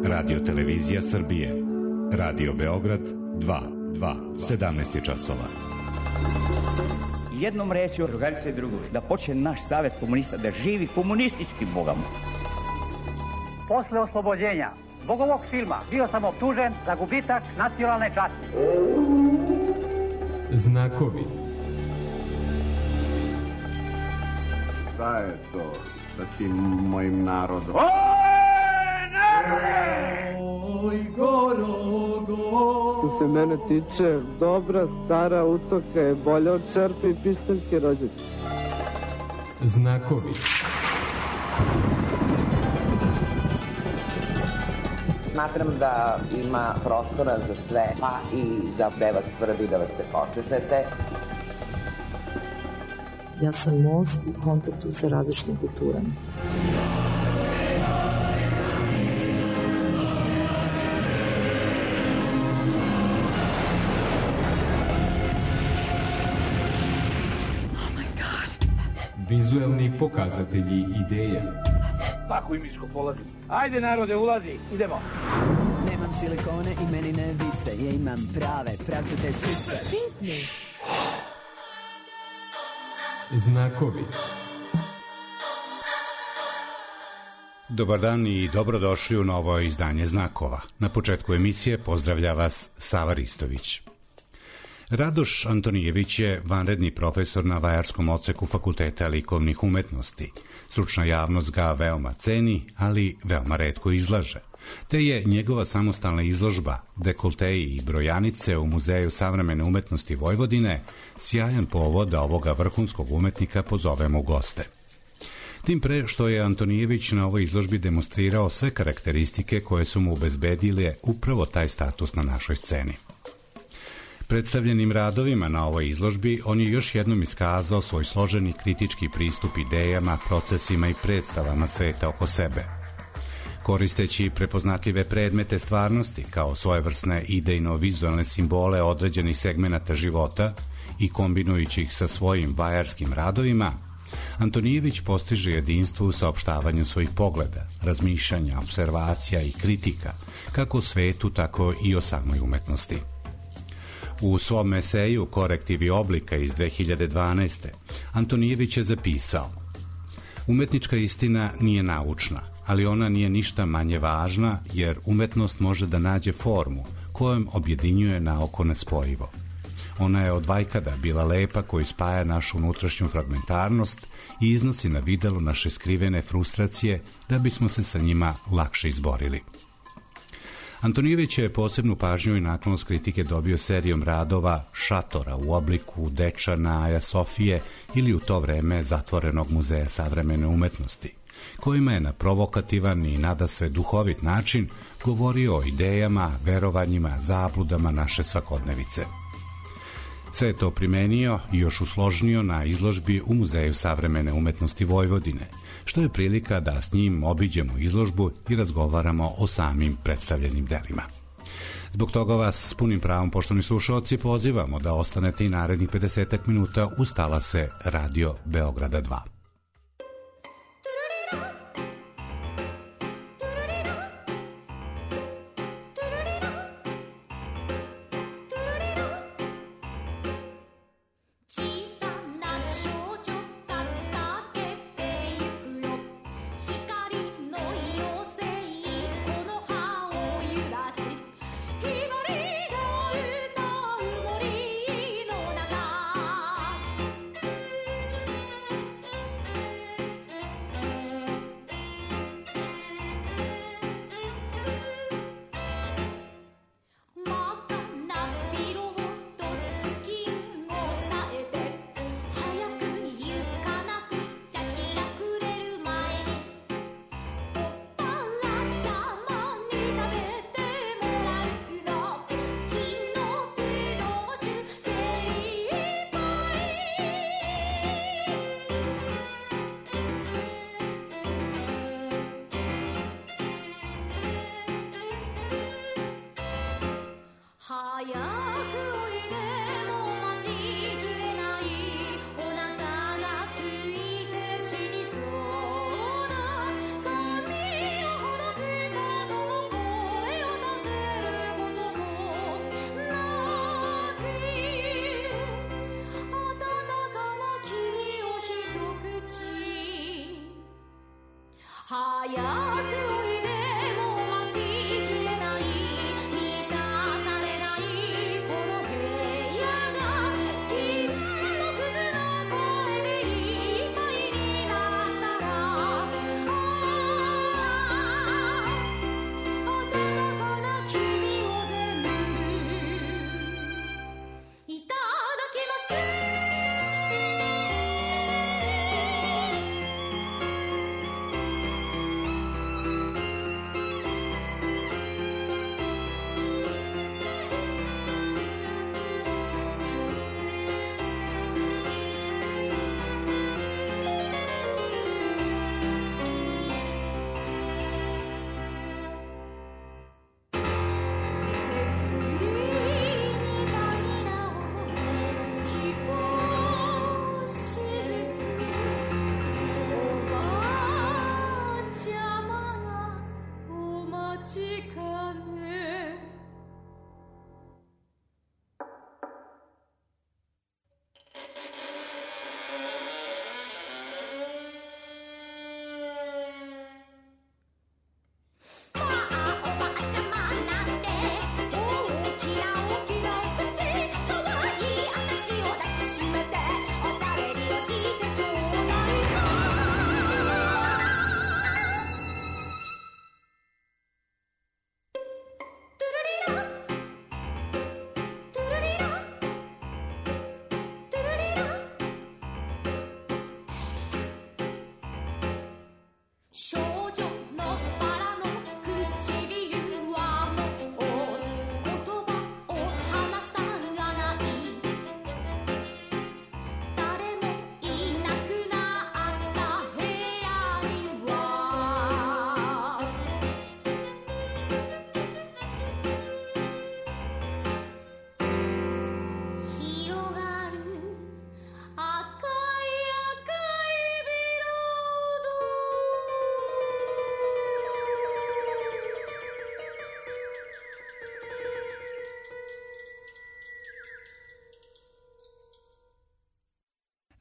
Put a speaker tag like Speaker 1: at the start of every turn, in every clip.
Speaker 1: Radio Televizija Srbije, Radio Beograd 2, 17 je časova.
Speaker 2: Jednom rečju, drugarice i drugovi, da počne naš savez komunista, da živi komunistički bogamo.
Speaker 3: Posle oslobođenja zbog ovog filma bio sam optužen za gubitak nacionalne časti.
Speaker 4: Znakovi.
Speaker 5: Šta je to sa tim mojim narodom?
Speaker 6: Oj, što se mene tiče, dobra stara utoka je bolja od čerpe i pištaljke rođaka.
Speaker 4: Znakovi.
Speaker 7: Smatram da ima prostora za sve, pa i za gde vas svrbi da vas se počešete.
Speaker 8: Ja sam most u kontaktu sa različitim kulturama.
Speaker 4: Vizuelni pokazatelji ideja.
Speaker 3: Pakuj miško, polazi. Ajde narode, ulazi, idemo.
Speaker 9: Nemam silikone i meni ne vise, ja imam prave, pravcate sise.
Speaker 4: Znakovi.
Speaker 1: Dobar dan i dobrodošli u novo izdanje Znakova. Na početku emisije pozdravlja vas Sava Ristović. Radoš Antonijević je vanredni profesor na Vajarskom odseku Fakulteta likovnih umetnosti. Stručna javnost ga veoma ceni, ali veoma retko izlaže. Te je njegova samostalna izložba Dekolteji i brojanice u Muzeju savremene umetnosti Vojvodine sjajan povod da ovoga vrhunskog umetnika pozovemo u goste. Tim pre što je Antonijević na ovoj izložbi demonstrirao sve karakteristike koje su mu obezbedile upravo taj status na našoj sceni. Predstavljenim radovima na ovoj izložbi on je još jednom iskazao svoj složeni kritički pristup idejama, procesima i predstavama sveta oko sebe. Koristeći prepoznatljive predmete stvarnosti kao svojevrsne idejno-vizualne simbole određenih segmenata života i kombinujući ih sa svojim vajarskim radovima, Antonijević postiže jedinstvo u saopštavanju svojih pogleda, razmišljanja, observacija i kritika, kako o svetu, tako i o samoj umetnosti. U svom eseju Korektivi oblika iz 2012. Antonijević je zapisao: umetnička istina nije naučna, ali ona nije ništa manje važna, jer umetnost može da nađe formu kojom objedinjuje naoko nespojivo. Ona je od vajkada bila lepa koji spaja našu unutrašnju fragmentarnost i iznosi na videlo naše skrivene frustracije da bismo se sa njima lakše izborili. Antonijević je posebnu pažnju i naklonost kritike dobio serijom radova Šatora u obliku Dečana, Aja Sofije ili u to vreme zatvorenog Muzeja savremene umetnosti, kojima je na provokativan i nadasve duhovit način govorio o idejama, verovanjima, zabludama naše svakodnevice. Sve je to primenio i još usložnio na izložbi u Muzeju savremene umetnosti Vojvodine, što je prilika da s njim obiđemo izložbu i razgovaramo o samim predstavljenim delima. Zbog toga vas s punim pravom, poštovani slušaoci, pozivamo da ostanete i narednih 50 minuta uz talase Radio Beograda 2.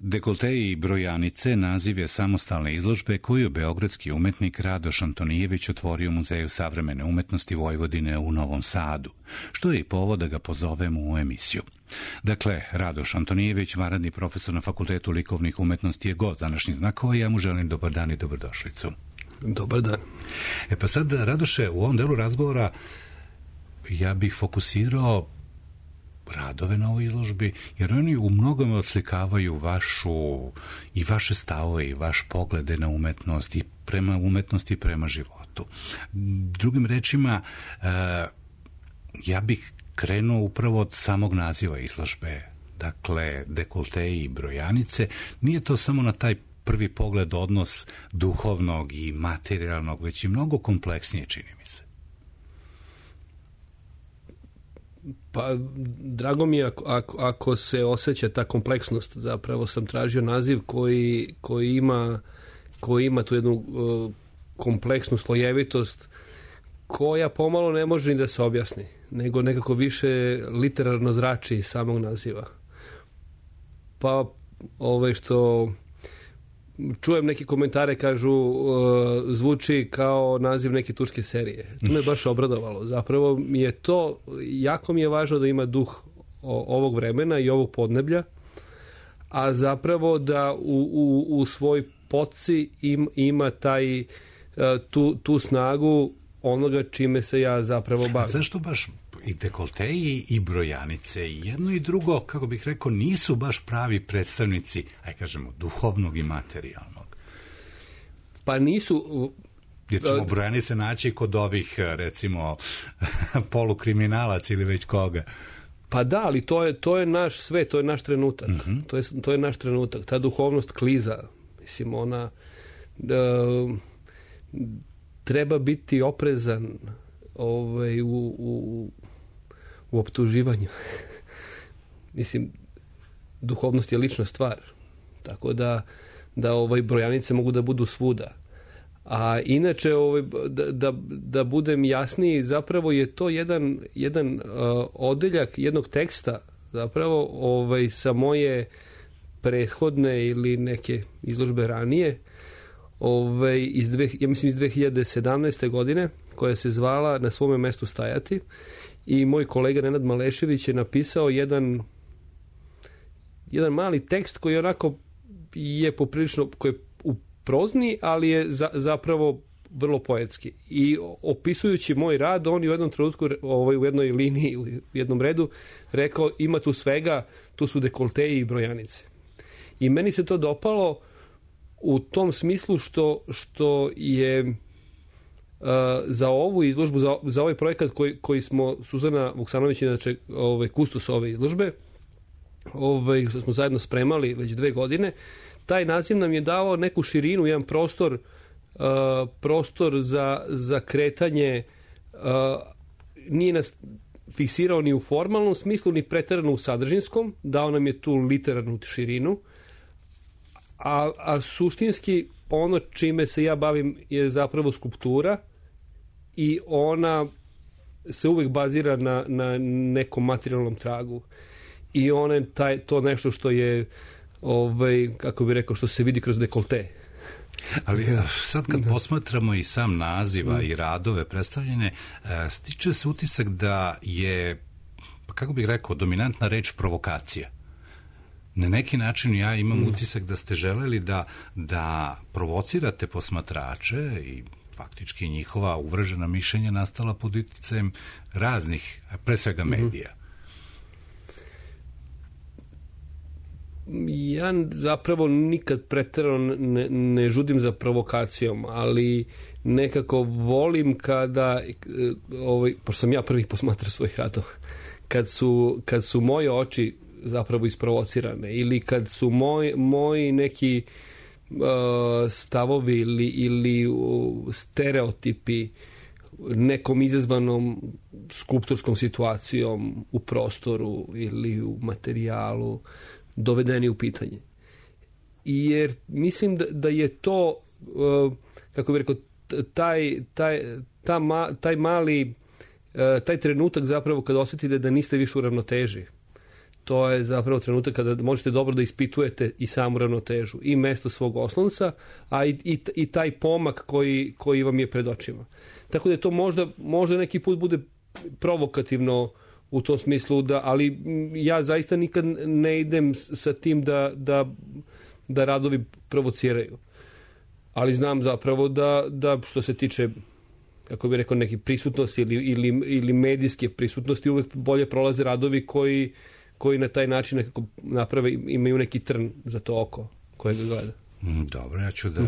Speaker 1: Dekolte i brojanice naziv je samostalne izložbe koju beogradski umetnik Radoš Antonijević otvorio u Muzeju savremene umetnosti Vojvodine u Novom Sadu, što je i povod da ga pozovemo u emisiju. Dakle, Radoš Antonijević, vanredni profesor na Fakultetu likovnih umetnosti, je gost današnjih znakova i ja mu želim dobar dan i dobrodošlicu.
Speaker 10: Dobar dan.
Speaker 1: Pa sad, Radoše, u ovom delu razgovora ja bih fokusirao radove na ovoj izložbi, jer oni u mnogome odslikavaju vaše stavove i vaš poglede na umetnost i prema umetnosti i prema životu. Drugim rečima, ja bih krenuo upravo od samog naziva izložbe, dakle, dekolte i brojanice. Nije to samo na taj prvi pogled odnos duhovnog i materijalnog, već i mnogo kompleksnije, čini mi se.
Speaker 10: Pa, drago mi je ako se osjeća ta kompleksnost. Zapravo sam tražio naziv koji ima tu jednu kompleksnu slojevitost koja pomalo ne može ni da se objasni, nego nekako više literarno zrači iz samog naziva. Pa, što čujem neke komentare, kažu zvuči kao naziv neke turske serije. To me baš obradovalo. Zapravo mi je to, jako mi je važno da ima duh ovog vremena i ovog podneblja, a zapravo da u svoj poci ima tu snagu onoga čime se ja zapravo bavim.
Speaker 1: A zašto baš i dekolte i brojanice, i jedno i drugo, kako bih rekao, nisu baš pravi predstavnici, kažemo, duhovnog i materijalnog?
Speaker 10: Pa nisu.
Speaker 1: Jer ćemo brojanice naći kod ovih, recimo, polukriminalaca ili već koga.
Speaker 10: Pa da, ali to je naš svet, to je naš trenutak. Mm-hmm. To je naš trenutak. Ta duhovnost kliza, mislim, ona treba biti oprezan u optuživanju. Mislim, duhovnost je lična stvar. Tako da brojanice mogu da budu svuda. A inače, da budem jasniji, zapravo je to jedan odeljak jednog teksta, zapravo sa moje prethodne ili neke izložbe ranije, iz 2017. godine, koja se zvala Na svome mestu stajati, i moj kolega Nenad Malešević je napisao jedan mali tekst koji onako je poprilično, koji je u prozni, ali je zapravo vrlo poetski. I opisujući moj rad, on je u jednom trenutku, u jednoj liniji, u jednom redu, rekao, ima tu svega, tu su dekolteji i brojanice. I meni se to dopalo u tom smislu što je za ovu izložbu, za ovaj projekat koji smo, Suzana Vuksanović, inače kustos ove izložbe, što smo zajedno spremali već 2 godine, taj naziv nam je dao neku širinu, jedan prostor za kretanje, nije nas fiksirao ni u formalnom smislu, ni preterano u sadržinskom, dao nam je tu literarnu širinu, a suštinski ono čime se ja bavim je zapravo skulptura i ona se uvek bazira na nekom materijalnom tragu. I ona je to nešto što je, kako bi rekao, što se vidi kroz dekolte.
Speaker 1: Ali sad kad posmatramo i sam naziva i radove predstavljene, stiče se utisak da je, kako bih rekao, dominantna reč provokacija. Na neki način ja imam utisak da ste želeli da provocirate posmatrače i faktički njihova uvržena mišljenja nastala pod uticajem raznih, pre svega medija.
Speaker 10: Ja zapravo nikad preterano ne žudim za provokacijom, ali nekako volim kada, pošto sam ja prvih posmatrao svojih radova, kad su moje oči zapravo isprovocirane ili kad su moji neki stavovi ili stereotipi nekom izazvanom skulpturskom situacijom u prostoru ili u materijalu dovedeni u pitanje. Jer mislim da je to, kako bih rekao, taj mali, taj trenutak zapravo kada osjetite da niste više u ravnoteži. To je zapravo trenutak kada možete dobro da ispitujete i samu ravnotežu, i mesto svog oslonca, a i taj pomak koji vam je pred očima. Tako da to možda neki put bude provokativno u tom smislu, ali ja zaista nikad ne idem sa tim da radovi provociraju. Ali znam zapravo da što se tiče, kako bih rekao, neke prisutnosti ili medijske prisutnosti, uvek bolje prolaze radovi koji na taj način nekako naprave, imaju neki trn za to oko koje ga gleda.
Speaker 1: Dobro, ja ću da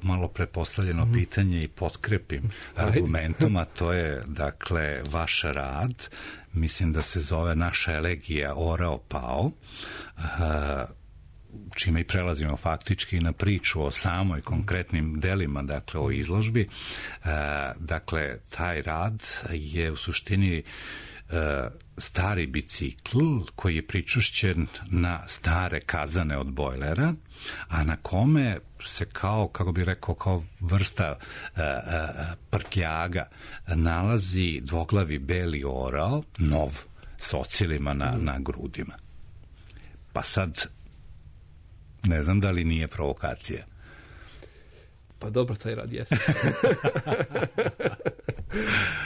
Speaker 1: malo prepostavljeno pitanje i potkrepim argumentom, a to je, dakle, vaš rad, mislim da se zove Naša elegija Orao Pao, čime i prelazimo faktički na priču o samoj konkretnim delima, dakle, o izložbi. Dakle, taj rad je u suštini stari bicikl koji je pričušćen na stare kazane od bojlera, a na kome se kao, kako bih rekao, kao vrsta prtljaga nalazi dvoglavi beli orao, nov, s ocilima na grudima. Pa sad, ne znam da li nije provokacija.
Speaker 10: Pa dobro, taj rad jeste.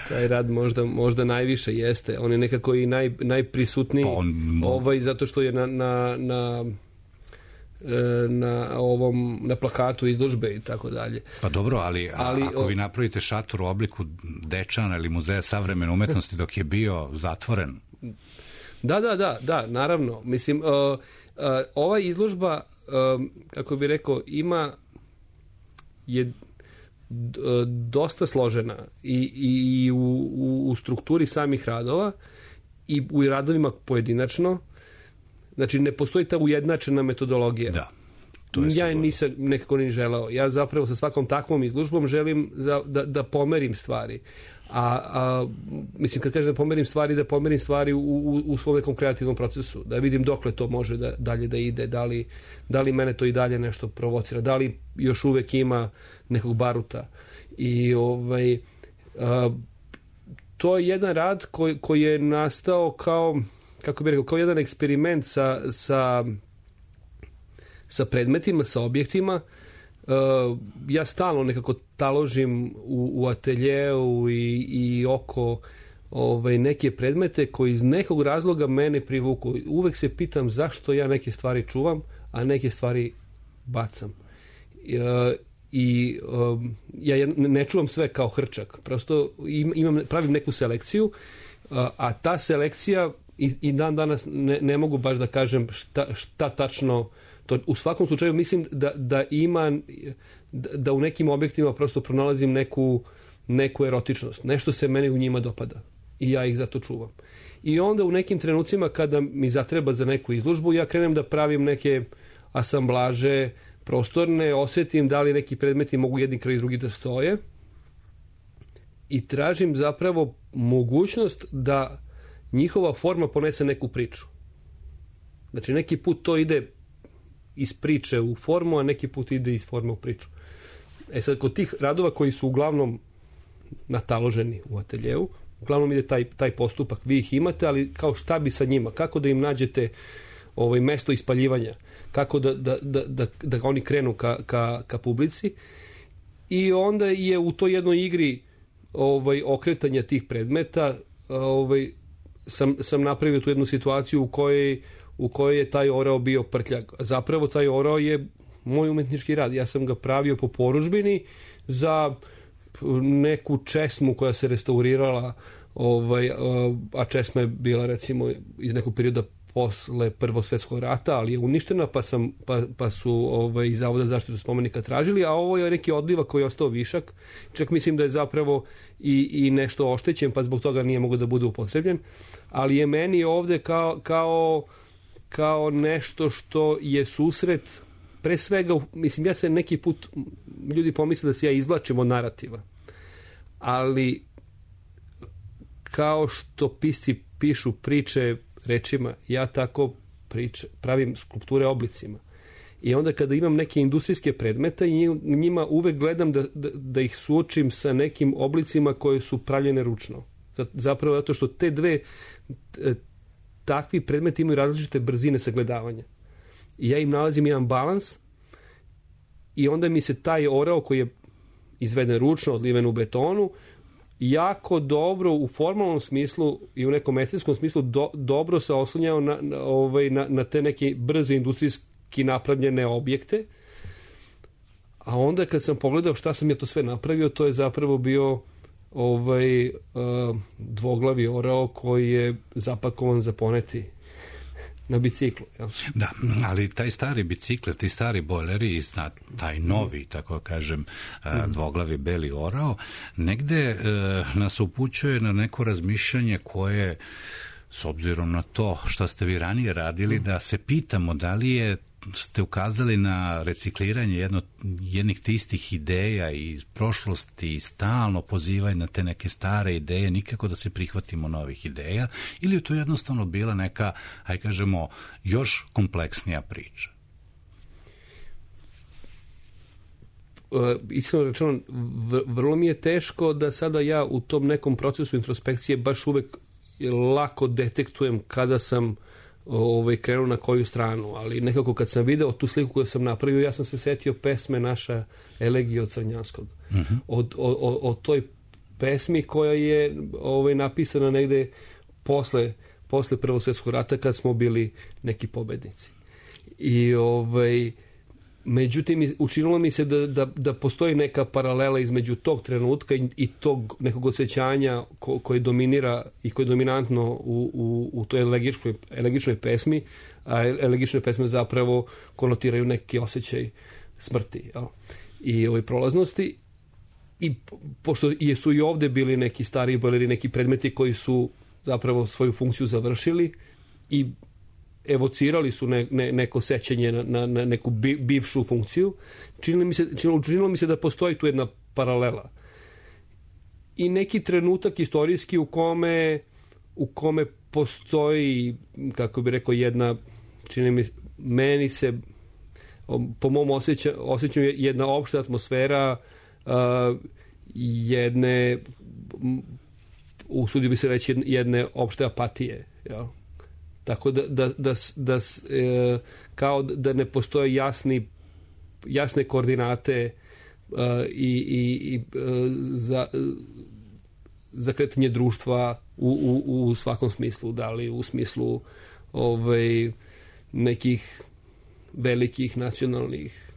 Speaker 10: Taj rad možda najviše jeste. On je nekako i najprisutniji, zato što je na plakatu izložbe i tako dalje.
Speaker 1: Pa dobro, ali ako vi napravite šator u obliku Dečana ili Muzeja savremene umetnosti dok je bio zatvoren.
Speaker 10: Da, naravno. Mislim, ova izložba, kako bih rekao, je dosta složena i u strukturi samih radova i u radovima pojedinačno. Znači, ne postoji ta ujednačena metodologija.
Speaker 1: Da,
Speaker 10: ja je nisam nekako ni želeo. Ja zapravo sa svakom takvom izložbom želim da pomerim stvari. Mislim, kad kažem da pomerim stvari u svom nekom kreativnom procesu, da vidim dokle to može dalje da ide, da li mene to i dalje nešto provocira, da li još uvek ima nekog baruta. I to je jedan rad koji je nastao kao, kako bih rekao, kao jedan eksperiment sa predmetima, sa objektima. Ja stalno nekako taložim u ateljeu i oko neke predmete koji iz nekog razloga mene privuku. Uvek se pitam zašto ja neke stvari čuvam, a neke stvari bacam. Ja ne čuvam sve kao hrčak. Prosto pravim neku selekciju, a ta selekcija i dan danas ne mogu baš da kažem šta tačno. To, u svakom slučaju mislim da u nekim objektima prosto pronalazim neku erotičnost. Nešto se meni u njima dopada i ja ih zato čuvam. I onda u nekim trenucima kada mi zatreba za neku izložbu, ja krenem da pravim neke asamblaže prostorne, osjetim da li neki predmeti mogu jedni kraj drugi da stoje i tražim zapravo mogućnost da njihova forma ponese neku priču. Znači, neki put to ide iz priče u formu, a neki put ide iz forme u priču. Sad, kod tih radova koji su uglavnom nataloženi u ateljeu. Uglavnom ide taj postupak, vi ih imate, ali kao šta bi sa njima, kako da im nađete mesto ispaljivanja, kako da oni krenu ka publici. I onda je u toj jednoj igri okretanja tih predmeta sam napravio tu jednu situaciju u kojoj je taj orao bio prtljag. Zapravo taj orao je moj umetnički rad. Ja sam ga pravio po porudžbini za neku česmu koja se restaurirala, a česma je bila recimo iz nekog perioda posle Prvog svjetskog rata, ali je uništena, pa su iz Zavoda za zaštitu spomenika tražili, a ovo je neki odlivak koji je ostao višak. Čak mislim da je zapravo i nešto oštećen, pa zbog toga nije mogao da bude upotrebljen. Ali je meni ovde kao nešto što je susret, pre svega, mislim, ja se neki put, ljudi pomisle da se ja izvlačim od narativa, ali kao što pisci pišu priče rečima, ja tako pravim skulpture oblicima. I onda kada imam neke industrijske predmete i njima uvek gledam da ih suočim sa nekim oblicima koje su pravljene ručno. Zapravo zato što te dve takvi predmeti imaju različite brzine sagledavanja. I ja im nalazim jedan balans i onda mi se taj orao koji je izveden ručno, odliven u betonu, jako dobro u formalnom smislu i u nekom estetskom smislu dobro se oslonjao na te neke brze industrijski napravljene objekte. A onda kad sam pogledao šta sam ja to sve napravio, to je zapravo bio dvoglavi orao koji je zapakovan za poneti na biciklu. Jel?
Speaker 1: Da, ali taj stari bicikl, ti stari bojleri i taj novi, tako kažem, dvoglavi beli orao, negde nas upućuje na neko razmišljanje koje, s obzirom na to što ste vi ranije radili, da se pitamo da li ste ukazali na recikliranje jednih te istih ideja iz prošlosti i stalno pozivaju na te neke stare ideje, nikako da se prihvatimo novih ideja, ili je to jednostavno bila neka, hajde kažemo, još kompleksnija priča?
Speaker 10: Iskreno rečeno, vrlo mi je teško da sada ja u tom nekom procesu introspekcije baš uvek lako detektujem kada sam krenuo na koju stranu, ali nekako kad sam video tu sliku koju sam napravio, ja sam se setio pesme Naša elegija od Crnjanskog. O toj pesmi koja je napisana negde posle Prvog svjetskog rata kad smo bili neki pobednici. I međutim, učinilo mi se da postoji neka paralela između tog trenutka i tog nekog osjećanja koji dominira i koji je dominantno u toj elegičnoj pesmi, a elegične pesme zapravo konotiraju neki osjećaj smrti, jel? I prolaznosti. I pošto su i ovde bili neki stariji bojleri, neki predmeti koji su zapravo svoju funkciju završili i evocirali su neko sećanje na neku bivšu funkciju, činilo mi se da postoji tu jedna paralela. I neki trenutak istorijski u kome postoji, kako bi rekao, jedna, meni se, po mom osjećanju, jedna opšta atmosfera jedne, usudio bi se reći, jedne opšte apatije, jel? Tako kao da ne postoje jasne koordinate za kretanje društva u svakom smislu, da li u smislu nekih velikih nacionalnih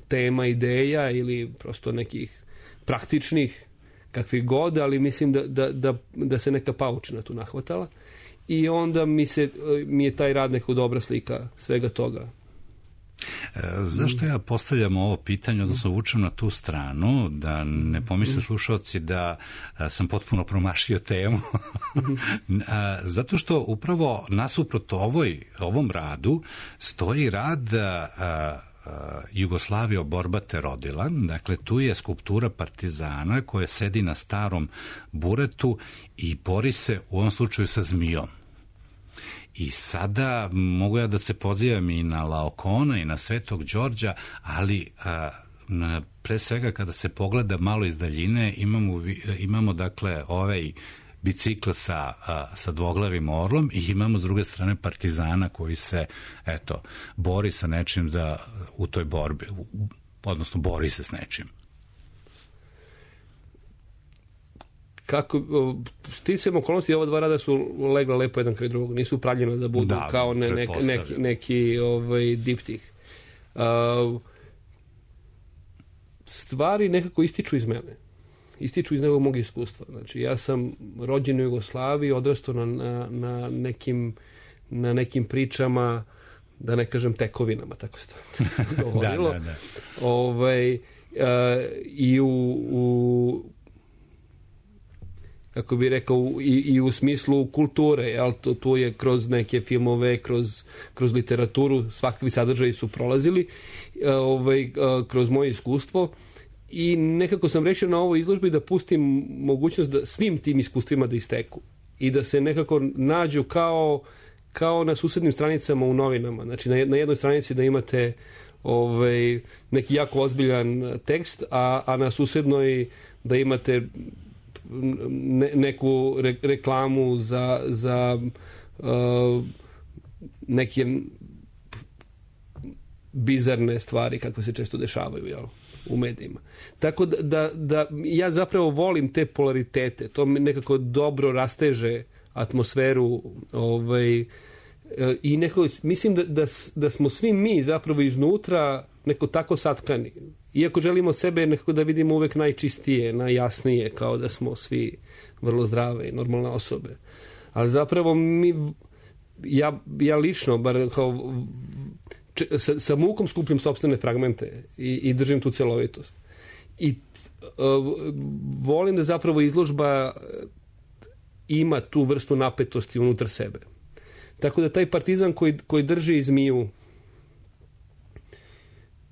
Speaker 10: tema, ideja ili prosto nekih praktičnih, kakvih god, ali mislim da se neka paučina tu nahvatala. I onda mi je taj rad neko dobra slika svega toga.
Speaker 1: Zašto ja postavljam ovo pitanje, odnosno vučem na tu stranu, da ne pomisle slušalci da sam potpuno promašio temu? Zato što upravo nasuprot ovom radu stoji rad Jugoslavija borba te rodila. Dakle, tu je skulptura partizana koja sedi na starom buretu i bori se u ovom slučaju sa zmijom. I sada mogu ja da se pozivam i na Laokona i na Svetog Đorđa, ali pre svega kada se pogleda malo iz daljine, imamo dakle ovaj bicikl sa dvoglavim orlom i imamo s druge strane partizana koji se bori sa nečim u toj borbi, odnosno bori se s nečim.
Speaker 10: Kako, sticajem okolnosti, ova dva rada su legla lepo jedan kraj drugog, nisu pravljena da budu kao neki diptih. Stvari nekako ističu iz mene. Ističu iz nekog mog iskustva. Znači, ja sam rođen u Jugoslaviji, odrastao na nekim pričama, da ne kažem tekovinama, tako se to govorilo. I kako bih rekao, i u smislu kulture, jel? To je kroz neke filmove, kroz literaturu, svakakvi sadržaji su prolazili kroz moje iskustvo i nekako sam rešio na ovoj izložbi da pustim mogućnost da svim tim iskustvima da isteku i da se nekako nađu kao na susednim stranicama u novinama. Znači, na jednoj stranici da imate neki jako ozbiljan tekst, a na susednoj da imate neku reklamu za neke bizarne stvari kako se često dešavaju, jel, u medijima. Tako da ja zapravo volim te polaritete, to mi nekako dobro rasteže atmosferu i nekako mislim da smo svi mi zapravo iznutra neko tako satkani. Iako želimo sebe nekako da vidimo uvek najčistije, najjasnije, kao da smo svi vrlo zdrave i normalne osobe. Ali zapravo ja lično, bar kao sa mukom skupljam sopstvene fragmente i držim tu celovitost. I volim da zapravo izložba ima tu vrstu napetosti unutar sebe. Tako da taj partizan koji drži zmiju,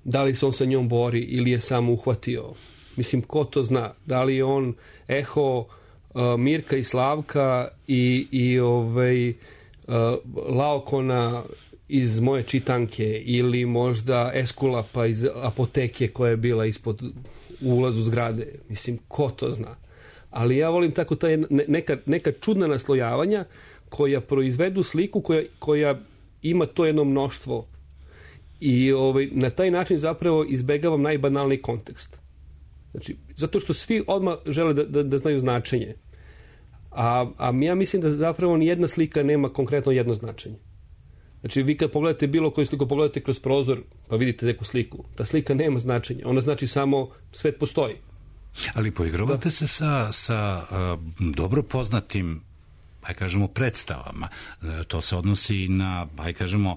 Speaker 10: da li se on sa njom bori ili je samo uhvatio, mislim, ko to zna, da li je on eho Mirka i Slavka i Laokona iz moje čitanke ili možda Eskulapa iz apoteke koja je bila ispod ulazu zgrade, mislim, ko to zna. Ali ja volim tako neka čudna naslojavanja koja proizvedu sliku koja ima to jedno mnoštvo i na taj način zapravo izbegavam najbanalniji kontekst. Znači, zato što svi odmah žele da znaju značenje. A ja mislim da zapravo nijedna slika nema konkretno jedno značenje. Znači, vi kad pogledate bilo koju sliku, pogledate kroz prozor, pa vidite neku sliku. Ta slika nema značenja. Ona znači samo svet postoji.
Speaker 1: Ali poigravate se sa dobro poznatim, kažemo, predstavama. To se odnosi i na, kažemo,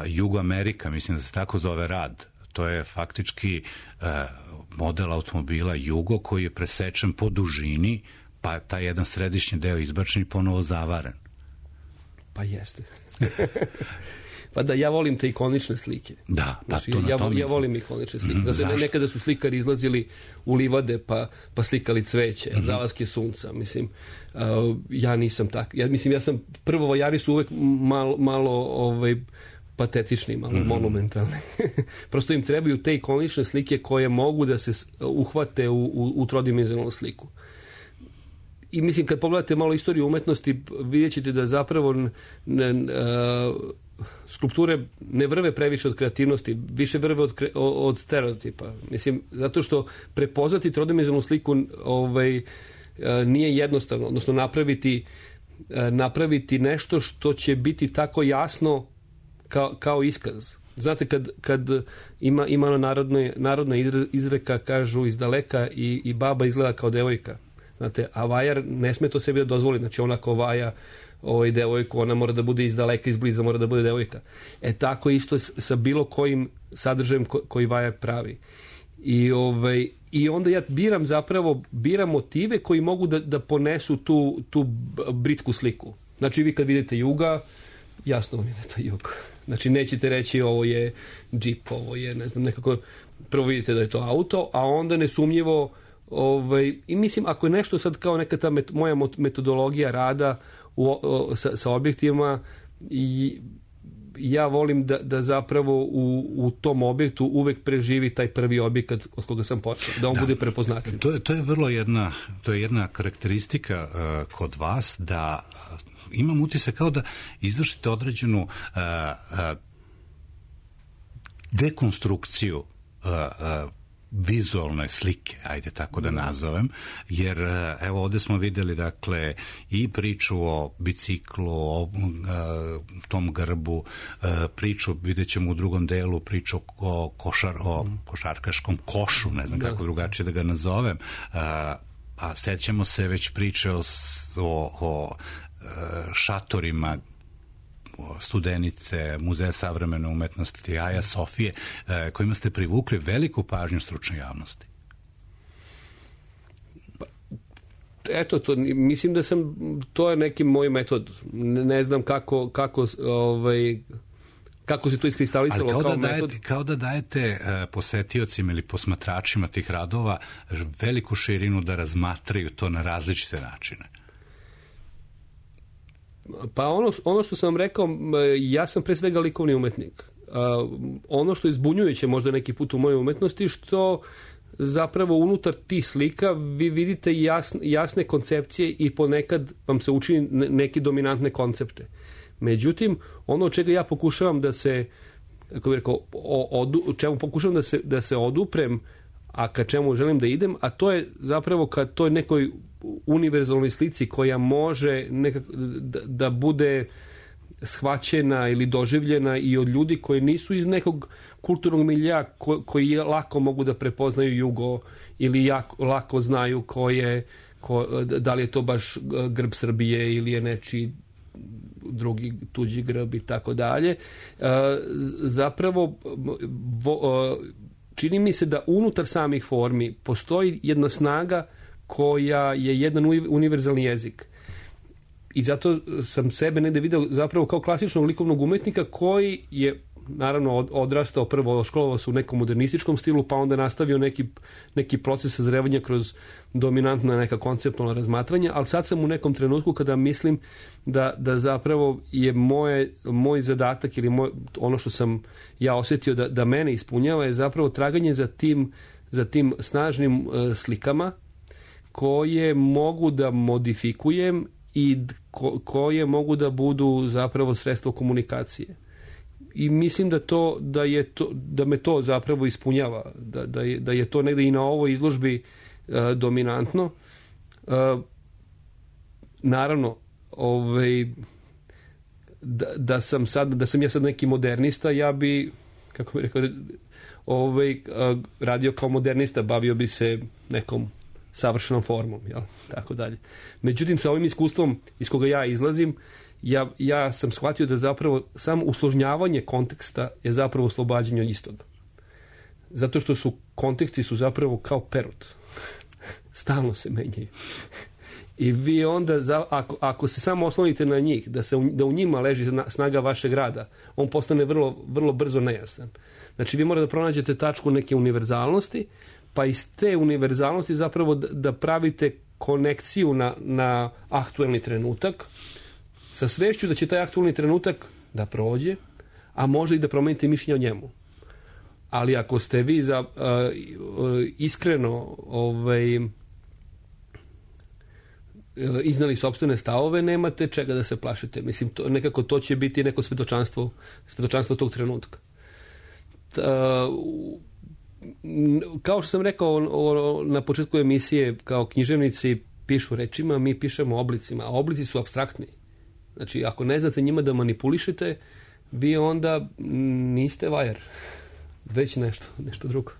Speaker 1: Jugoamerika, mislim da se tako zove rad. To je faktički model automobila Jugo koji je presečen po dužini, pa taj jedan središnji deo izbačen i ponovo zavaren.
Speaker 10: Pa jeste. Pa da, ja volim te ikonične slike.
Speaker 1: Da,
Speaker 10: znači, ja volim ikonične slike. Nekada su slikari izlazili u livade pa slikali cveće, zalaske sunca. Mislim, ja nisam tak. Ja sam prvovajari su uvek malo patetični, malo monumentalni. Prosto im trebaju te ikonične slike koje mogu da se uhvate u trodimenzionalnu sliku. I mislim, kad pogledate malo istoriju umetnosti, vidjet ćete da zapravo skulpture ne vrve previše od kreativnosti, više vrve od stereotipa. Mislim, zato što prepoznati trodimenzionalnu sliku nije jednostavno, odnosno napraviti nešto što će biti tako jasno kao iskaz. Znate, kad ima narodna izreka, kažu iz daleka i baba izgleda kao devojka. Znate, a vajar ne sme to sebi da dozvoli. Znači, ona ko vaja devojku, ona mora da bude iz daleka, iz bliza mora da bude devojka. Tako isto sa bilo kojim sadržajem koji vajar pravi. I onda ja biram motive koji mogu da ponesu tu britku sliku. Znači, vi kad vidite Juga, jasno vam je da je to Jug. Znači, nećete reći ovo je džip, ovo je, ne znam, nekako, prvo vidite da je to auto, a onda nesumnjivo i mislim, ako je nešto sad kao neka ta moja metodologija rada sa objektivima, ja volim da zapravo u tom objektu uvek preživi taj prvi objekat od koga sam počeo, da on bude prepoznatljiv.
Speaker 1: To je vrlo jedna karakteristika kod vas, da imam utisak kao da izvršite određenu dekonstrukciju vizualne slike, ajde tako da nazovem, jer evo ovde smo videli dakle i priču o biciklu, o tom grbu, priču, vidjet ćemo u drugom delu, priču o košarkaškom košu, ne znam kako drugačije da ga nazovem, a sećamo se već priče o šatorima Studenice, Muzeja savremene umetnosti, Aja Sofije, kojima ste privukli veliku pažnju stručne javnosti.
Speaker 10: Eto, mislim da to je neki moj metod. Ne znam kako se to iskristalisalo kao metod.
Speaker 1: Kao da dajete posetiocima ili posmatračima tih radova veliku širinu da razmatraju to na različite načine.
Speaker 10: Pa ono što sam rekao, ja sam pre svega likovni umetnik. Ono što je zbunjujuće možda neki put u mojoj umetnosti, što zapravo unutar tih slika vi vidite jasne koncepcije i ponekad vam se učini neke dominantne koncepte. Međutim, ono od čega ja pokušavam da se, kako bih rekao, čemu pokušavam da se oduprem, a ka čemu želim da idem, a to je zapravo ka toj nekoj univerzalnoj slici koja može da bude shvaćena ili doživljena i od ljudi koji nisu iz nekog kulturnog milja, koji lako mogu da prepoznaju jugo ili lako znaju da li je to baš grb Srbije ili je nečiji drugi tuđi grb i tako dalje. Zapravo čini mi se da unutar samih formi postoji jedna snaga koja je jedan univerzalni jezik. I zato sam sebe negde video zapravo kao klasičnog likovnog umetnika koji je naravno odrastao, prvo školovao se u nekom modernističkom stilu, pa onda nastavio neki proces sazrevanja kroz dominantna neka konceptualna razmatranja, ali sad sam u nekom trenutku kada mislim da zapravo je moj zadatak ili ono što sam ja osjetio da mene ispunjava je zapravo traganje za tim snažnim slikama koje mogu da modifikujem i koje mogu da budu zapravo sredstvo komunikacije. I mislim da me to zapravo ispunjava, da je to negde i na ovoj izložbi dominantno. Naravno, da sam ja sad neki modernista, ja bi, kako bih rekao, radio kao modernista, bavio bi se nekom savršenom formom, jel? Tako dalje. Međutim, sa ovim iskustvom iz koga ja izlazim, ja sam shvatio da zapravo samo usložnjavanje konteksta je zapravo oslobađanje od istog. Zato što konteksti su zapravo kao perut. Stalno se menjaju. I vi onda, ako se samo oslonite na njih, da u njima leži snaga vašeg rada, on postane vrlo, vrlo brzo nejasan. Znači, vi morate da pronađete tačku neke univerzalnosti, pa iz te univerzalnosti zapravo da pravite konekciju na aktuelni trenutak, sa svešću da će taj aktualni trenutak da prođe, a možda i da promenite mišljenje o njemu. Ali ako ste vi iskreno iznali sopstvene stavove, nemate čega da se plašite. Mislim, nekako to će biti neko svedočanstvo tog trenutka. Kao što sam rekao na početku emisije, kao književnici pišu rečima, mi pišemo oblicima, a oblici su apstraktni. Znači, ako ne znate njima da manipulišete, vi onda niste vajar, već nešto drugo.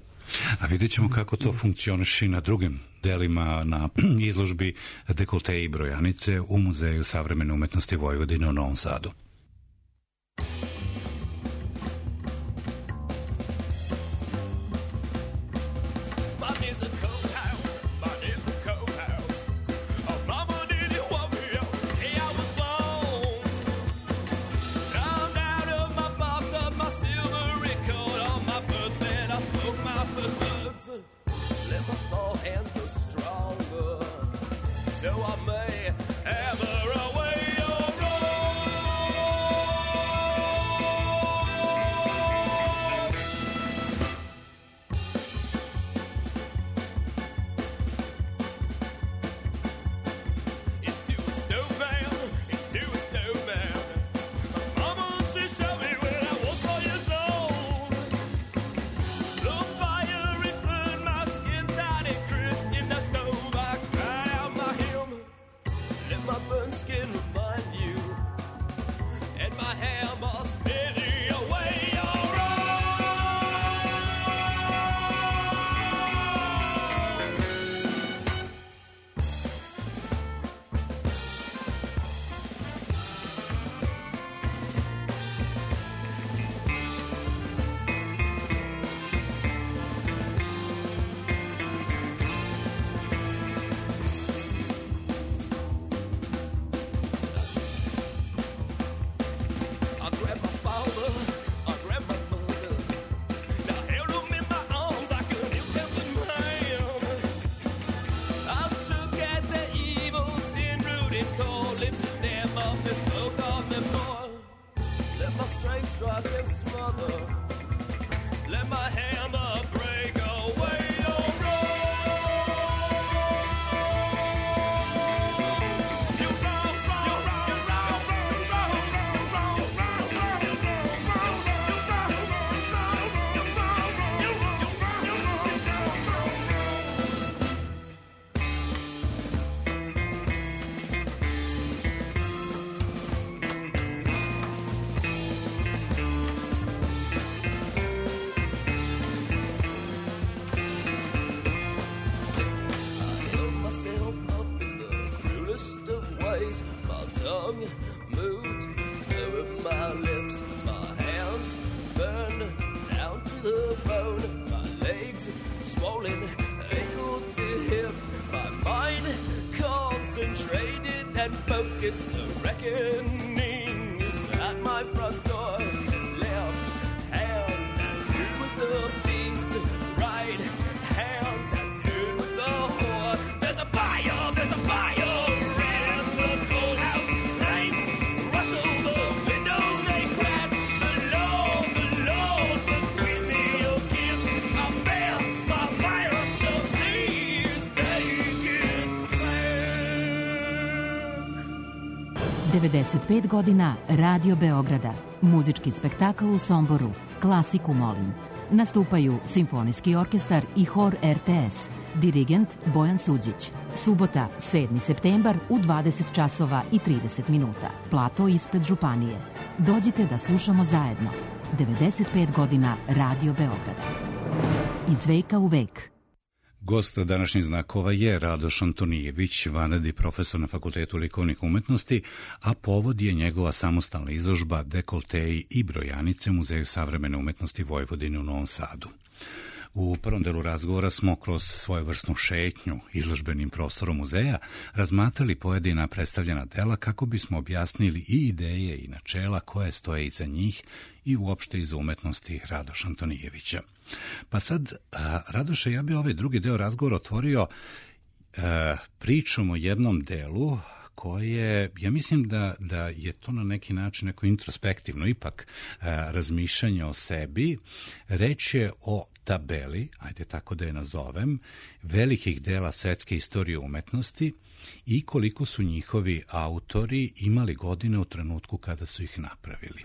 Speaker 1: A vidjet ćemo kako to funkcioniše i na drugim delima na izložbi Dekolte i brojanice u Muzeju savremene umetnosti Vojvodine u Novom Sadu.
Speaker 11: So I may ever away your road. Let my burnt skin remind you, and my hammer spinning away your
Speaker 12: ...95 godina Radio Beograda, muzički spektakl u Somboru, klasiku molim. Nastupaju Simfonijski orkestar i hor RTS, dirigent Bojan Suđić. Subota, 7. septembar u 20 časova i 30 minuta. Plato ispred Županije. Dođite da slušamo zajedno. 95 godina Radio Beograda. Iz veka u vek.
Speaker 1: Gost današnjih znakova je Radoš Antonijević, vanredni profesor na Fakultetu likovnih umetnosti, a povod je njegova samostalna izložba Dekolteji i brojanice u Muzeju savremene umetnosti Vojvodine u Novom Sadu. U prvom delu razgovora smo kroz svojevrsnu šetnju izložbenim prostorom muzeja razmatrali pojedina predstavljena dela kako bismo objasnili i ideje i načela koje stoje iza njih i uopšte iza umetnosti Radoša Antonijevića. Pa sad, Radoše, ja bi ovaj drugi deo razgovora otvorio pričom o jednom delu koje, ja mislim da je to na neki način neko introspektivno ipak razmišljanje o sebi. Reč je o tabeli, ajde tako da je nazovem, velikih dela svetske istorije umetnosti i koliko su njihovi autori imali godine u trenutku kada su ih napravili.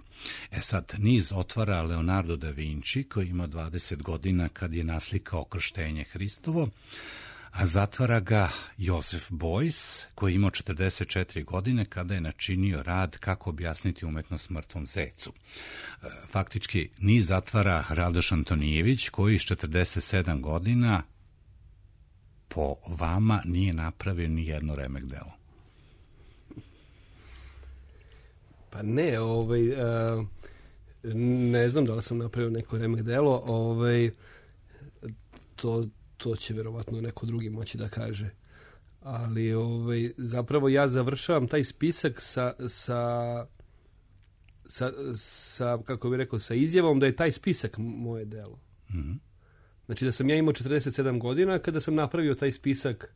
Speaker 1: Sad, niz otvara Leonardo da Vinci, koji ima 20 godina kad je naslikao Krštenje Hristovo, a zatvara ga Josef Beuys, koji je imao 44 godine kada je načinio rad Kako objasniti umetnost mrtvom zecu. Faktički, niz zatvara Radoš Antonijević, koji s 47 godina po vama nije napravio ni jedno remek delo.
Speaker 10: Pa ne, ne znam da li sam napravio neko remek delo, to će verovatno neko drugi moći da kaže. Ali zapravo ja završavam taj spisak sa kako bih rekao, sa izjavom da je taj spisak moje delo. Mm-hmm. Znači da sam ja imao 47 godina kada sam napravio taj spisak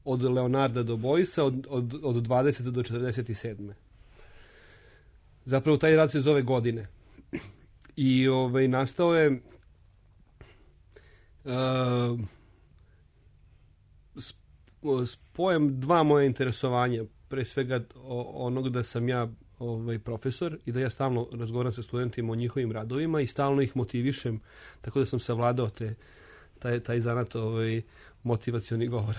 Speaker 10: od Leonarda do Boysa od 20 do 47. Zapravo taj rad se zove Godine. I nastao je spojem dva moje interesovanja. Pre svega onog da sam ja profesor i da ja stalno razgovaram sa studentima o njihovim radovima i stalno ih motivišem, tako da sam savladao taj zanat motivacioni govor.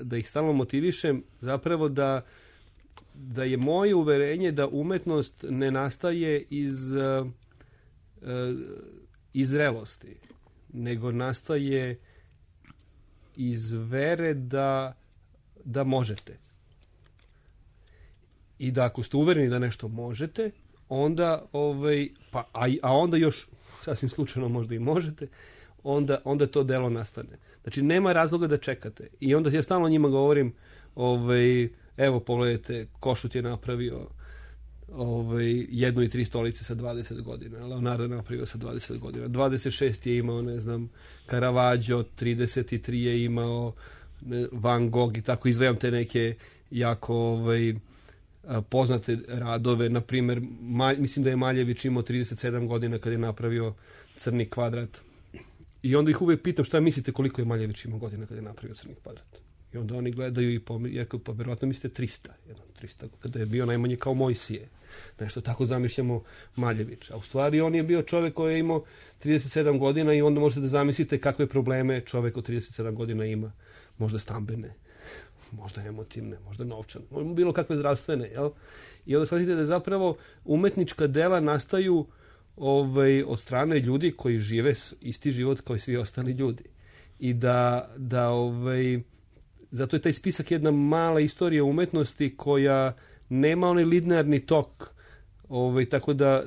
Speaker 10: da ih stalno motivišem, zapravo da je moje uverenje da umetnost ne nastaje iz zrelosti, nego nastaje iz vere da možete. I da ako ste uvereni da nešto možete, onda, a onda još sasvim slučajno možda i možete, onda to delo nastane. Znači, nema razloga da čekate. I onda ja stalno njima govorim, evo, pogledajte, Košut je napravio 1 i 3 stolice sa 20 godina. Leonardo je napravio sa 20 godina. 26 je imao, ne znam, Caravaggio, 33 je imao Van Gogh i tako izvajam te neke jako poznate radove. Na primjer, mislim da je Maljević imao 37 godina kad je napravio Crni kvadrat. I onda ih uvijek pitam šta mislite koliko je Maljević imao godina kad je napravio Crni kvadrat. I onda oni gledaju i pa verovatno mislite 300. 300 kada je bio najmanje kao Mojsije. Nešto tako zamišljamo Maljevića. A u stvari on je bio čovjek koji je imao 37 godina i onda možete da zamislite kakve probleme čovjek od 37 godina ima. Možda stambene, možda emotivne, možda novčane, možda bilo kakve zdravstvene. Jel? I onda shvatite da zapravo umetnička dela nastaju od strane ljudi koji žive isti život kao i svi ostali ljudi. I zato je taj spisak jedna mala istorija umetnosti koja nema onaj linearni tok, tako da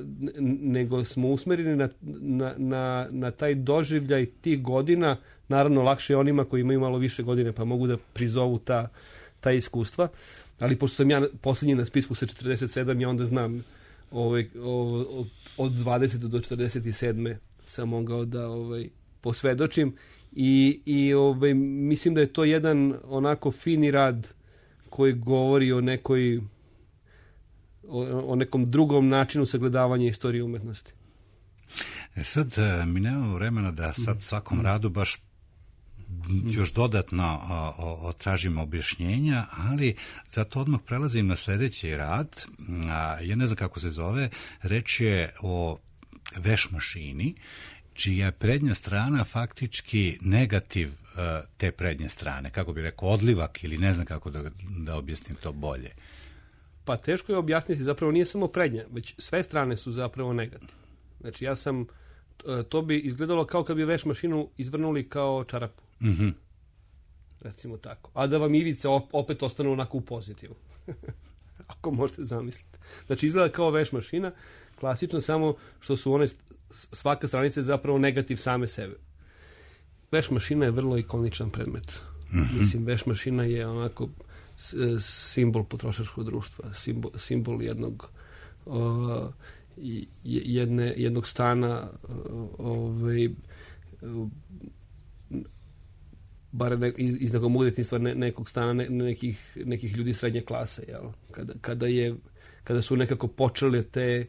Speaker 10: nego smo usmereni na taj doživljaj tih godina. Naravno, lakše je onima koji imaju malo više godine pa mogu da prizovu ta iskustva. Ali pošto sam ja posljednji na spisku sa 47, ja onda znam od 20 do 47 sam mogao da posvedočim i mislim da je to jedan onako fini rad koji govori o nekom drugom načinu sagledavanja istorije umetnosti.
Speaker 1: Sad mi nemamo vremena da sad svakom radu baš još dodatno tražimo objašnjenja, ali zato odmah prelazim na sljedeći rad. Ja ne znam kako se zove, reč je o veš mašini, čija je prednja strana faktički negativ te prednje strane. Kako bi rekao, odlivak ili ne znam kako da objasnim to bolje.
Speaker 10: Pa teško je objasniti, zapravo nije samo prednja, već sve strane su zapravo negativ. Znači to bi izgledalo kao kad bi veš mašinu izvrnuli kao čarapu.
Speaker 1: Mm-hmm.
Speaker 10: Recimo tako. A da vam ivice opet ostanu onako u pozitivu. Ako možete zamisliti. Znači izgleda kao veš mašina, klasično, samo što su one svaka stranica je zapravo negativ same sebe. Veš mašina je vrlo ikoničan predmet.
Speaker 1: Mm-hmm.
Speaker 10: Mislim, veš mašina je onako simbol potrošačkog društva, simbol jednog stana, bar iz nekog udjetništva nekog stana nekih ljudi srednje klase, jel? Kada su nekako počeli te,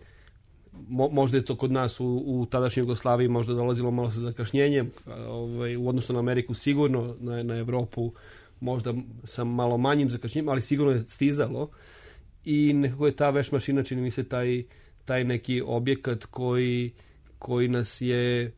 Speaker 10: možda je to kod nas u tadašnjoj Jugoslaviji možda dolazilo malo sa zakašnjenjem, u odnosu na Ameriku sigurno, na Evropu možda sa malo manjim zakašnjenjem, ali sigurno je stizalo i nekako je ta veš mašina, čini mi se, taj neki objekat koji nas je,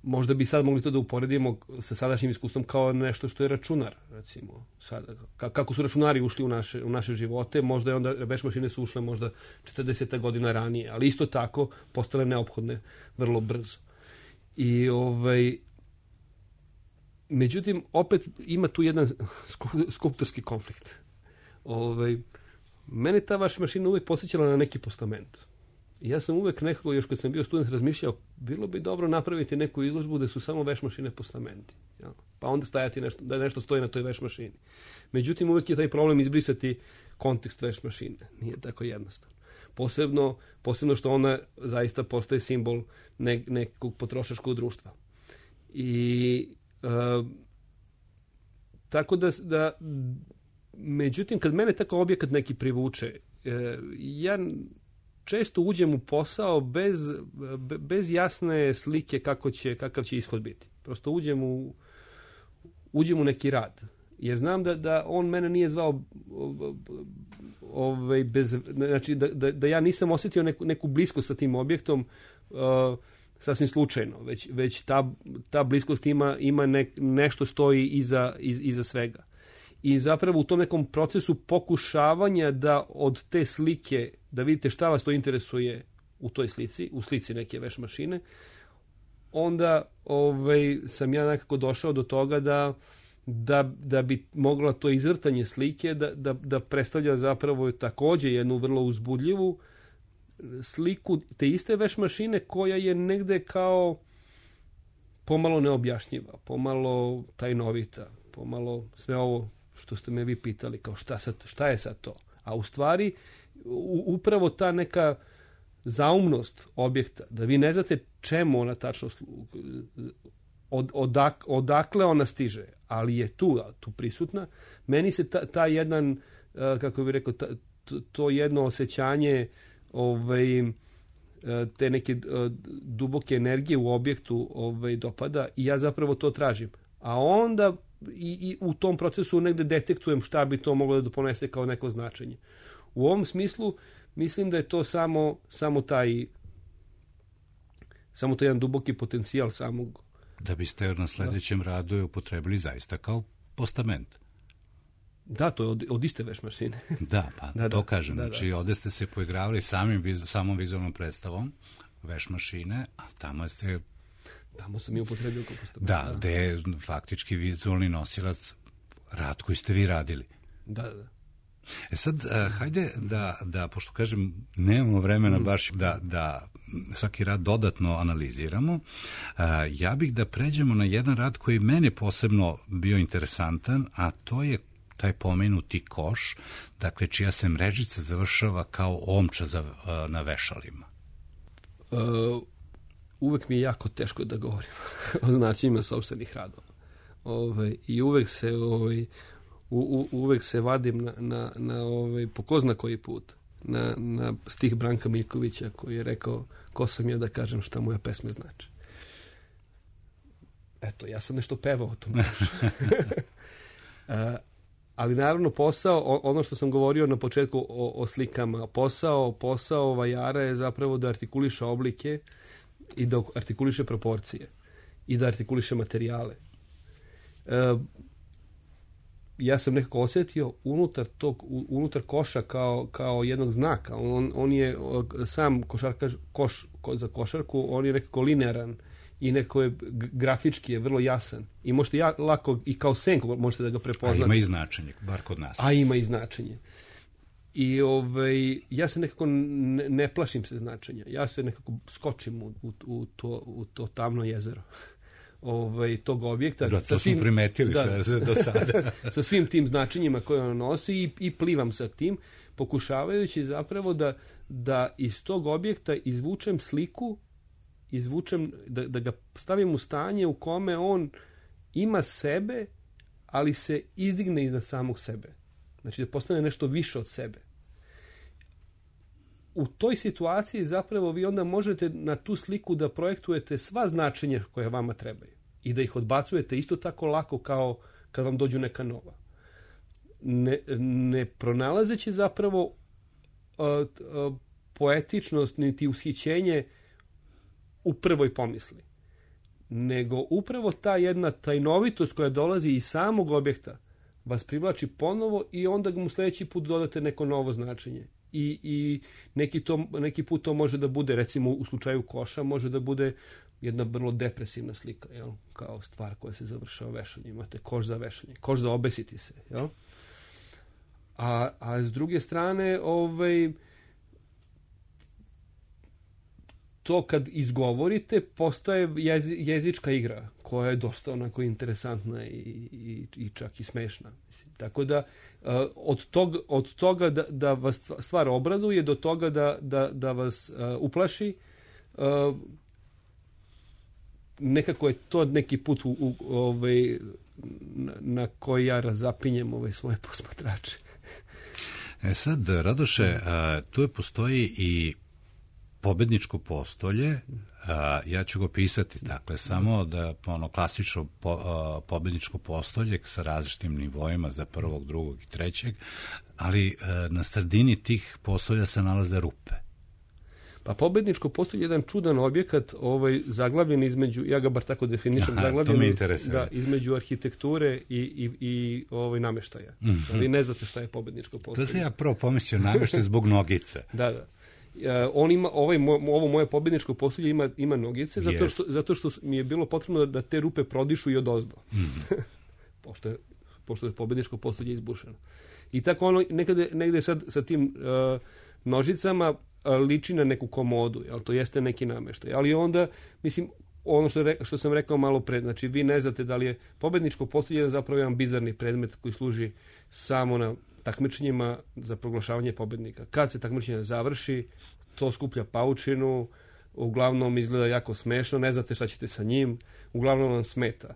Speaker 10: možda bi sad mogli to da uporedimo sa sadašnjim iskustvom kao nešto što je računar, recimo. Sada, kako su računari ušli u naše živote, možda je onda veš mašine su ušle možda 40 godina ranije, ali isto tako postale neophodne vrlo brzo. I međutim, opet ima tu jedan skulptorski konflikt. Mene ta vaša mašina uvijek posjećala na neki postament. I ja sam uvijek nekako, još kad sam bio student, razmišljao, bilo bi dobro napraviti neku izložbu da su samo veš mašine postamenti. Ja? Pa onda stajati da nešto stoji na toj veš mašini. Međutim, uvijek je taj problem izbrisati kontekst veš mašine. Nije tako jednostavno. Posebno što ona zaista postaje simbol nekog potrošačkog društva. I tako da međutim, kad mene tako objekat neki privuče, ja često uđem u posao bez jasne slike kakav će ishod biti. Prosto uđem u neki rad. Jer znam da on mene nije zvao znači da ja nisam osjetio neku bliskost sa tim objektom sasvim slučajno, već ta bliskost ima nešto stoji iza svega. I zapravo u tom nekom procesu pokušavanja da od te slike, da vidite šta vas to interesuje u toj slici, u slici neke veš mašine, onda sam ja nekako došao do toga da bi mogla to izvrtanje slike da predstavlja zapravo takođe jednu vrlo uzbudljivu sliku te iste veš mašine koja je negde kao pomalo neobjašnjiva, pomalo tajnovita, pomalo sve ovo što ste me vi pitali, kao šta je sad to? A u stvari upravo ta neka zaumnost objekta, da vi ne znate čemu ona tačno odakle ona stiže, ali je tu prisutna. Meni se ta jedan, kako bih rekao, to jedno osjećanje te neke duboke energije u objektu dopada i ja zapravo to tražim. A onda i u tom procesu negde detektujem šta bi to moglo da doponese kao neko značenje. U ovom smislu mislim da je to samo taj jedan duboki potencijal samog.
Speaker 1: Da biste na sledećem radu je upotrebili zaista kao postament.
Speaker 10: Da, to je od iste veš mašine.
Speaker 1: Da, pa to kažem. Znači, ovde ste se poigravali samom vizualnom predstavom veš mašine, a
Speaker 10: tamo sam i upotrebio kao postament.
Speaker 1: Da, gde je faktički vizualni nosilac rad koji ste vi radili.
Speaker 10: Da.
Speaker 1: Sad, hajde da, pošto kažem, nemamo vremena baš da svaki rad dodatno analiziramo, ja bih da pređemo na jedan rad koji mene posebno bio interesantan, a to je taj pomenuti koš, dakle, čija se mrežica završava kao omča na vešalima.
Speaker 10: Uvek mi je jako teško da govorim o značenjima sopstvenih radova. I uvek se vadim na po ko zna koji put na stih Branka Miljkovića koji je rekao ko sam ja da kažem šta moja pesme znači. Eto, ja sam nešto pevao o tom. Ali naravno posao, ono što sam govorio na početku o slikama, posao vajara je zapravo da artikuliše oblike i da artikuliše proporcije i da artikuliše materijale. Ja sam nekako osjetio unutar koša kao jednog znaka. On je sam koš za košarku, on je nekako linearan i neko je grafički je vrlo jasan. I možete lako i kao senku možete da ga prepoznate.
Speaker 1: A ima i značenje, bar kod nas.
Speaker 10: A ima i značenje. I ja se nekako ne plašim se značenja. Ja se nekako skočim u to tamno jezero. Tog objekta.
Speaker 1: Da, to smo primetili sve do sada.
Speaker 10: Sa svim tim značenjima koje on nosi i plivam sa tim, pokušavajući zapravo da iz tog objekta izvučem sliku, da ga stavim u stanje u kome on ima sebe, ali se izdigne iznad samog sebe. Znači da postane nešto više od sebe. U toj situaciji zapravo vi onda možete na tu sliku da projektujete sva značenja koje vama trebaju i da ih odbacujete isto tako lako kao kad vam dođu neka nova. Ne pronalazeći zapravo poetičnost niti ushićenje u prvoj pomisli, nego upravo ta jedna tajnovitost koja dolazi iz samog objekta vas privlači ponovo i onda mu sljedeći put dodate neko novo značenje. I neki put to može da bude, recimo u slučaju koša, može da bude jedna vrlo depresivna slika, jel? Kao stvar koja se završava vešanjem. Imate koš za vešanje, koš za obesiti se. Jel? A s druge strane, to kad izgovorite postaje jezička igra koja je dosta onako interesantna i čak i smešna. Mislim. Tako da od toga da vas stvar obraduje do toga da vas uplaši, nekako je to neki put na koji ja razapinjem svoje posmatrače.
Speaker 1: Sad, Radoše, tu postoji i pobedničko postolje, ja ću ga pisati, dakle, samo da klasično pobedničko postolje sa različitim nivoima za prvog, drugog i trećeg, ali na sredini tih postolja se nalaze rupe.
Speaker 10: Pa pobedničko postolje je jedan čudan objekat, zaglavljen između, ja ga bar tako definišem, zaglavljen između arhitekture i namještaja. Vi ne znate šta je pobedničko postolje.
Speaker 1: To sam ja prvo pomislio namještaj zbog nogice.
Speaker 10: Da. On ima, ovo moje pobedničko postolje ima nogice, zato što mi je bilo potrebno da te rupe prodišu i odozdo. Pošto je pobedničko postolje izbušeno. I tako ono negde sad sa tim nožicama liči na neku komodu, jel, to jeste neki namještaj. Ali onda, mislim, ono što sam rekao malo pre, znači vi ne znate da li je pobedničko postolje zapravo jedan bizarni predmet koji služi samo na takmičenjima za proglašavanje pobednika. Kad se takmičenje završi, to skuplja paučinu, uglavnom izgleda jako smešno, ne znate šta ćete sa njim, uglavnom vam smeta.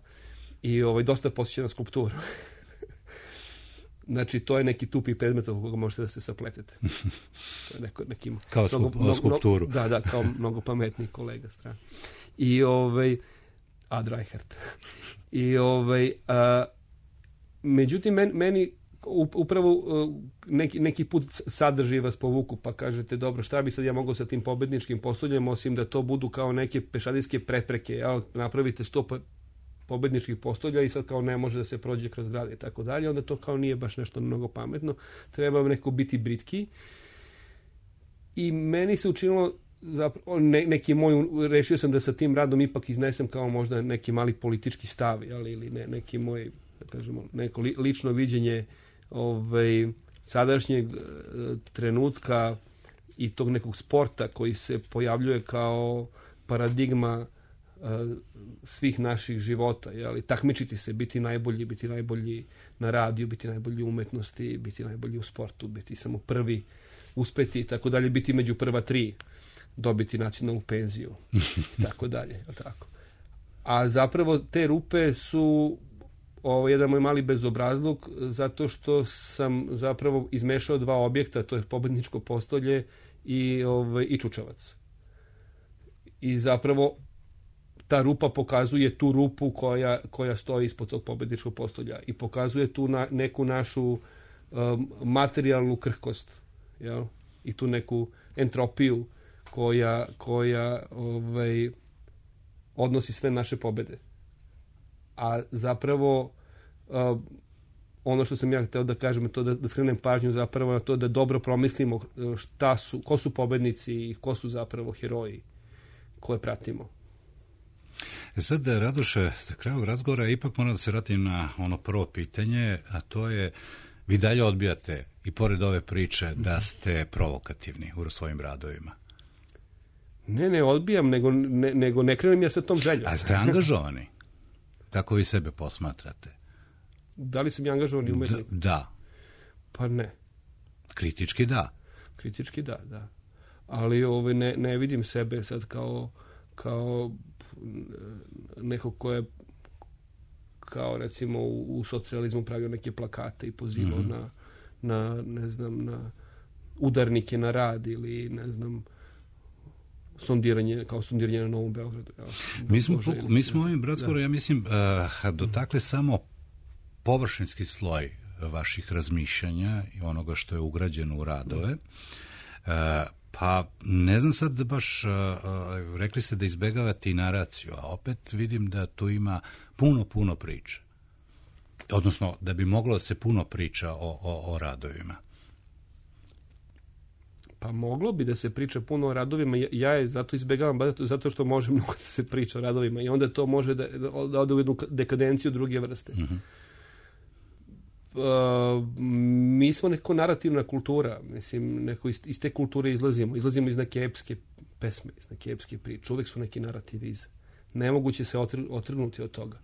Speaker 10: I dosta posjeća na skulpturu. Znači, to je neki tupi predmet oko koga možete da se sapletete. To je neki
Speaker 1: kao skulpturu.
Speaker 10: Da, kao mnogo pametniji kolega strana. I Ad Reichert. I međutim, meni upravo neki put sadržaj vas povuku, pa kažete, dobro, šta bi sad ja mogao sa tim pobedničkim postoljem, osim da to budu kao neke pešadijske prepreke, napravite 100 pobedničkih postolja i sad kao ne može da se prođe kroz grad i tako dalje, onda to kao nije baš nešto mnogo pametno, treba neko biti britki. I meni se učinilo zapravo, rešio sam da sa tim radom ipak iznesem kao možda neki mali politički stav, ili neki moj, da kažemo, neko lično viđenje sadašnjeg trenutka i tog nekog sporta koji se pojavljuje kao paradigma svih naših života, takmičiti se, biti najbolji na radiju, biti najbolji u umetnosti, biti najbolji u sportu, biti samo prvi, uspeti i tako dalje, biti među prva 3, dobiti nacionalnu penziju i tako dalje. Tako. A zapravo te rupe su jedan moj mali bezobrazluk, zato što sam zapravo izmešao 2 objekta, to je pobedničko postolje i čučavac. I zapravo ta rupa pokazuje tu rupu koja stoji ispod tog pobedničkog postolja i pokazuje tu neku našu materijalnu krhkost, jel? I tu neku entropiju koja odnosi sve naše pobede. A zapravo ono što sam ja hteo da kažem je to da skrenem pažnju zapravo na to da dobro promislimo ko su pobednici i ko su zapravo heroji koje pratimo.
Speaker 1: Sad, Radoše, za kraju razgovora ipak moram da se vratim na ono prvo pitanje, a to je, vi dalje odbijate i pored ove priče da ste provokativni u svojim radovima.
Speaker 10: Ne odbijam, nego ne krenem ja sa tom željom.
Speaker 1: A ste angažovani? Kako vi sebe posmatrate?
Speaker 10: Da li sam ja angažovani umetnik?
Speaker 1: Da.
Speaker 10: Pa ne.
Speaker 1: Kritički da.
Speaker 10: Kritički da. Ali ne vidim sebe sad kao neko ko je kao recimo u socijalizmu pravio neke plakate i pozivao na ne znam, na udarnike na rad ili ne znam sondiranje na Novom Beogradu.
Speaker 1: Mi smo ovim razgovorom, ja mislim, dotakli samo površinski sloj vaših razmišljanja i onoga što je ugrađeno u radove. Pa ne znam sad baš, rekli ste da izbegavate i naraciju, a opet vidim da tu ima puno priče. Odnosno, da bi moglo se puno priča o radovima.
Speaker 10: Pa moglo bi da se priča puno o radovima, ja je zato izbegavam, zato što može mnogo da se priča o radovima i onda to može da ode u jednu dekadenciju druge vrste. Mi smo neko narativna kultura, mislim, neko iz te kulture izlazimo iz neke epske pesme, iz neke epske priče, uvek su neki narativi iza. Nemoguće se otrgnuti od toga.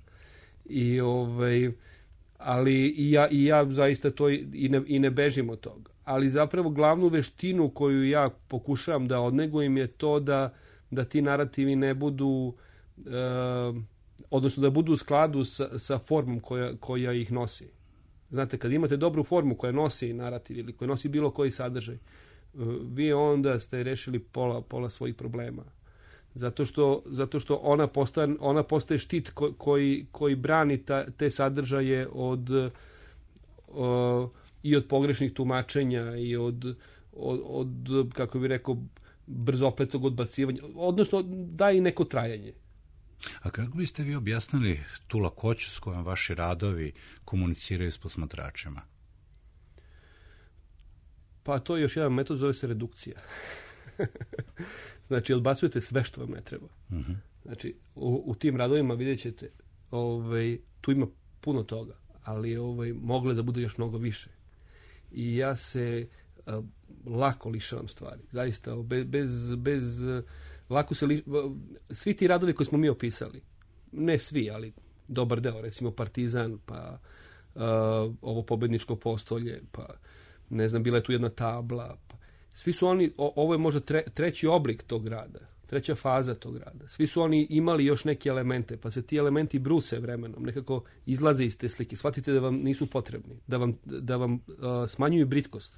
Speaker 10: Ali i ja zaista to i ne bežim od toga. Ali zapravo glavnu veštinu koju ja pokušavam da odnegujem je to da ti narativi ne budu, odnosno da budu u skladu sa formom koja ih nosi. Znate, kad imate dobru formu koja nosi narativ ili koja nosi bilo koji sadržaj, vi onda ste rešili pola svojih problema. Zato što ona postaje štit koji brani te sadržaje i od pogrešnih tumačenja i od kako bih rekao, brzopletog odbacivanja, odnosno daje i neko trajanje.
Speaker 1: A kako biste vi objasnili tu lakoću s kojom vaši radovi komuniciraju s posmatračima?
Speaker 10: Pa to je još jedan metod, zove se redukcija. Znači, odbacujete sve što vam ne treba. Znači, u tim radovima vidjet ćete, tu ima puno toga, ali mogle da bude još mnogo više. I ja se lako lišavam stvari. Zaista, bez lako se svi ti radovi koje smo mi opisali, ne svi, ali dobar deo, recimo Partizan, pa ovo pobedničko postolje, pa ne znam, bila je tu jedna tabla, pa svi su oni, ovo je možda treći oblik tog rada, treća faza tog rada. Svi su oni imali još neke elemente, pa se ti elementi bruse vremenom, nekako izlaze iz te slike. Shvatite da vam nisu potrebni, da vam smanjuju britkost.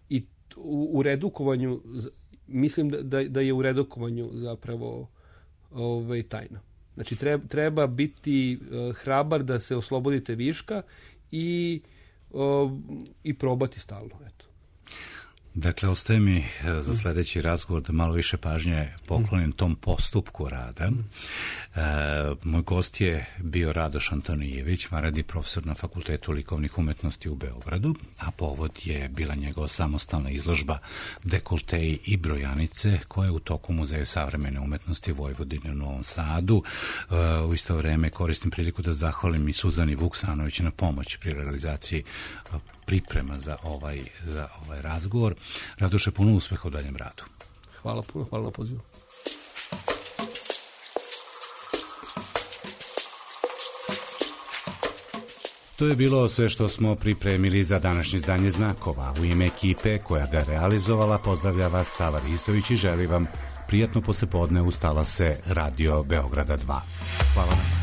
Speaker 10: I u redukovanju, mislim da je u redukovanju zapravo tajna. Znači, treba biti hrabar da se oslobodite viška i probati stalno, eto.
Speaker 1: Dakle, ostaje mi za sljedeći razgovor da malo više pažnje poklonim tom postupku rada. Moj gost je bio Radoš Antonijević, vanredni profesor na Fakultetu likovnih umetnosti u Beogradu, a povod je bila njegova samostalna izložba Dekolteji i brojanice, koja je u toku Muzeja savremene umetnosti Vojvodine u Novom Sadu. U isto vrijeme koristim priliku da zahvalim i Suzani Vuksanović na pomoći pri realizaciji priprema za ovaj razgovor. Radoše, puno uspeha u daljem radu.
Speaker 10: Hvala puno, hvala na pozivu.
Speaker 1: To je bilo sve što smo pripremili za današnje izdanje Znakova. U ime ekipe koja ga realizovala pozdravlja vas Sava Ristović i želi vam prijatno poslepodne uz talase Radio Beograda 2. Hvala vam.